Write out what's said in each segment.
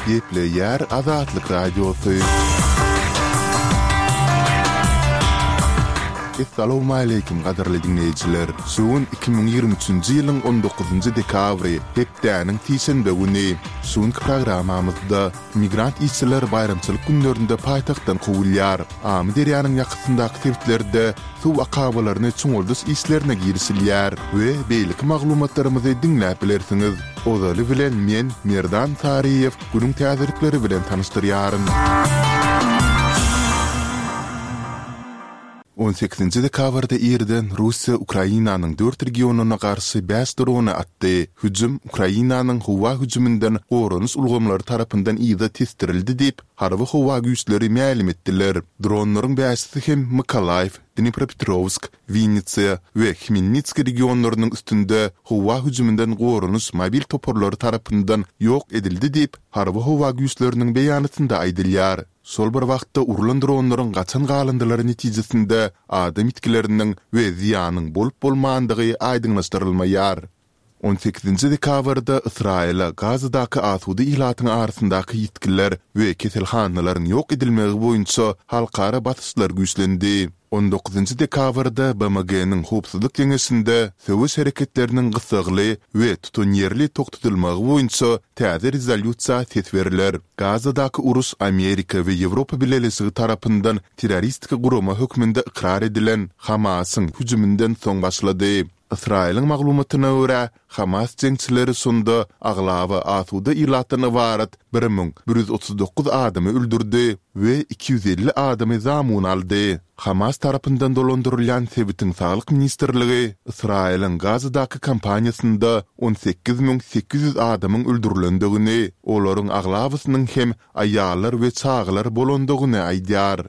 Gepleýär Azatlyk Radiosy. Essalawmaleýkim gadyrly diňleýjiler! Şu gün 2023-nji ýylyň on dokuzynjy dekabry, hepdäniň sişenbe güni. Şu günki programmamyzda migrant işçiler baýramçylyk günlerinde paýtagtdan kowulýar. Amyderýanyň ýakasyndaky sebitlerde suw akabalaryny çuňaldyş işlerine girişilýär we beýleki maglumatlarymyzy diňläp bilersiňiz. Ozaly bilen men, Merdan Saryýew, günüň täzelikleri bilen tanyşdyrýaryn. On sekizinji dekabrda irden Russiýa Ukrainanyň dört regionyna garşy bäş drony atdy. Hüjüm Ukrainanyň howa hüjüminden goranyş ulgamlary tarapyndan yza tesdirildi diýip, Harby howa güýçleri mälim etdiler. Dronlaryň bäşisi hem Mykolaýiw, Dnipropetrowsk, Winnitsa we Hmelnitskiý regionlarynyň üstünde howa hüjüminden goranyş mobil toparlary tarapyndan ýok edildi diýip, Harby howa güýçleriniň beýanatynda aýdylýar. Şol bir wagtda urlan dronlaryň gaçan galyndylary netijesinde adam ýitgileriniň we zyýanyň bolup-bolmandygy aýdyňlaşdyrylmaýar. On sekizinji dekabrda Ysraýyla Gazadaky asuda ilatyň arasyndaky ýitgiler we keselhanalaryň ýok edilmegi boýunça halkara basyşlar güýçlendi. On dokuzynjy dekabrda BMG-niň Howpsuzlyk Geňeşinde söweş hereketleriniň gyssagly we tutanýerli togtadylmagy boýunça täze rezolýusiýa ses berler. Gazadaky uruş Amerika we Ýewropa Bileleşigi tarapyndan terroristik gurama hökmünde ykrar edilen Hamasyň hüjüminden soň başlady. Ysraýylyň maglumatyna görä, Hamas jeňçileri şonda aglaba asuda ilatdan ybarat 1139 adamy öldürdi we 250 adamy zamun aldy. Hamas tarapyndan dolandyrylýan sebitiň saglyk ministrligi Ysraýylyň Gazadaky kampaniýasynda 18 800 adamyň öldürilendigini, olaryň aglabasynyň hem aýallar we çagalar bolandygyny aýdýar.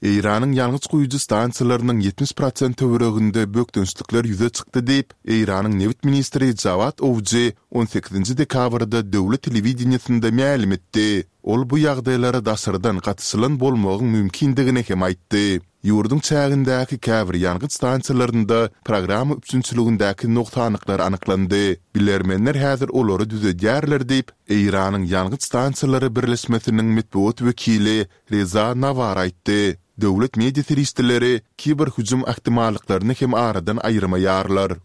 Eýranyň ýangyç guýujy stansiýalarynyň 70 prosent töwereginde bökdençlikler ýüze çykdy diýip, Eýranyň nebit ministri Jawad Owji on sekizinji dekabrda döwlet telewideniýesinde mälim etdi. Ol bu ýagdaýlara daşardan gatyşylan bolmagyň mümkindigini hem aýtdy. Ýurduň çägindäki käbir ýangyç stansiýalarynda programma üpjünçiligindäki nogsanlyklar anyklandy. Bilermenler häzir olary düzedýärler diýip, Eýranyň ýangyç stansiýalary birleşmesiniň metbugat wekili Reza Nawar aýtdy. Döwlet media serişdeleri kiber hüjüm ähtimallyklaryny hem aradan aýyrmaýarlar.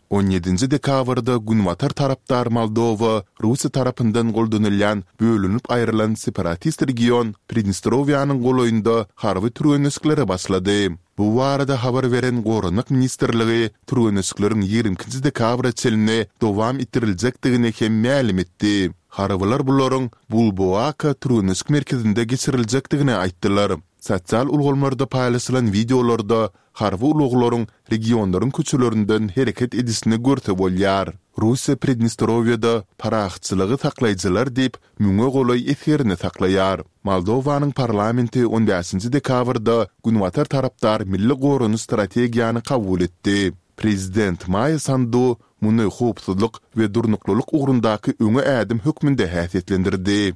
On ýedinji dekabrda günbatar tarapdar Moldowa Russiýa tarapyndan goldanylýan bölünip aýrylan separatist region Pridnestrowiýanyň golaýynda harby türgenleşiklere başlady. Bu barada habar beren Goranmak ministrligi türgenleşikleriň ýigrimi ikinji dekabra çenli dowam etdiriljekdigini hem mälim etdi. Harbylar bularyň Bulboaka türgenleşik merkezinde geçiriljekdigini aýtdylar. Sosial ulgamlarda paýlaşylan wideolarda harby ulaglaryň regionlaryň köçelerinden hereket edişini görse bolýar. Russiýa Pridnestrowiýada parahatçylygy saklaýjylar diýip, müňe golaý esgerini saklaýar. Moldowanyň parlamenti on bäşinji dekabrda Günbatar tarapdar milli goranyş strategiýany kabul etdi. Prezident Maýa Sandu muny howpsuzlyk we durnuklylyk ugrundaky öňe ädim hökmünde häsiýetlendirdi.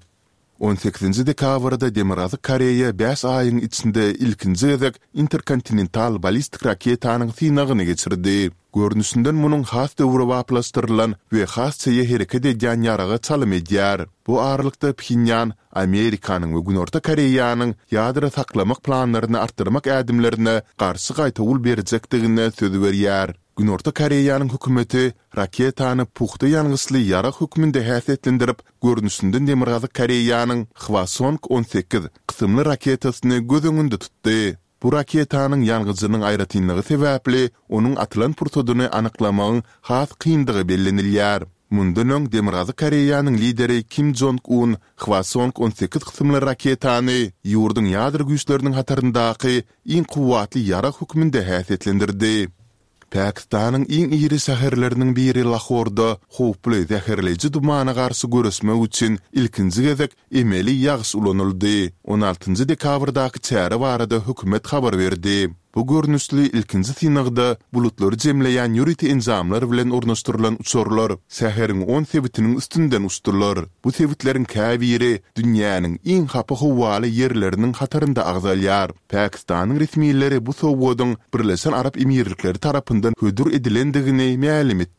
On sekizinji dekabrda Demirgazyk Koreýa bäş aýyň içinde ilkinji gezek interkontinental ballistik raketanyň synagyny geçirdi. Görnüşinden munuň has döwrebaplaşdyrylan we has çeýe hereket edýän ýaraga çalym edýär. Bu aralykda Phenýan Amerikanyň we Günorta Koreýanyň ýadro saklamak planlaryny artdyrmak ädimlerine garşy gaýtawul berjekdigine söz berýär. Günorta Koreýanyň hökümeti raketany pugta ýangyçly ýarag hökmünde häsiýetlendirip, görnüşinden Demirgazyk Koreýanyň Hwasong 18 kysymly raketasyny göz öňünde tutdy. Bu raketanyň ýangyjynyň aýratynlygy sebäpli onuň atylan pursadyny anyklamagyň has kyndygy bellenilýär. Mundan öň Demirgazyk Koreýanyň lideri Kim Jong Un Hwasong 18 kysymly raketany ýurduň ýadro güýçleriniň hataryndaky iň kuwwatly ýarag hökmünde häsiýetlendirdi. Pakistanyň iň iri şäherleriniň biri Lahorda howply zäherleýji dumana garşy göreşmek üçin ilkinji gezek emeli ýagyş ulanyldy. On altynjy dekabrdaky çäre barada hökümet habar berdi. Bu görnüşli ilkinji synagda bulutlary jemleýän ýörite enjamlar bilen ornaşdyrylan uçarlar şäheriň on sebitiniň üstünden uçdular. Bu sebitleriň käbiri dünýäniň iň hapa howaly ýerleriniň hatarynda agzalýar. Pakistanyň resmileri bu sowgadyň Birleşen Arap Emirlikleri tarapyndan hödür edilendigini mälim etdiler.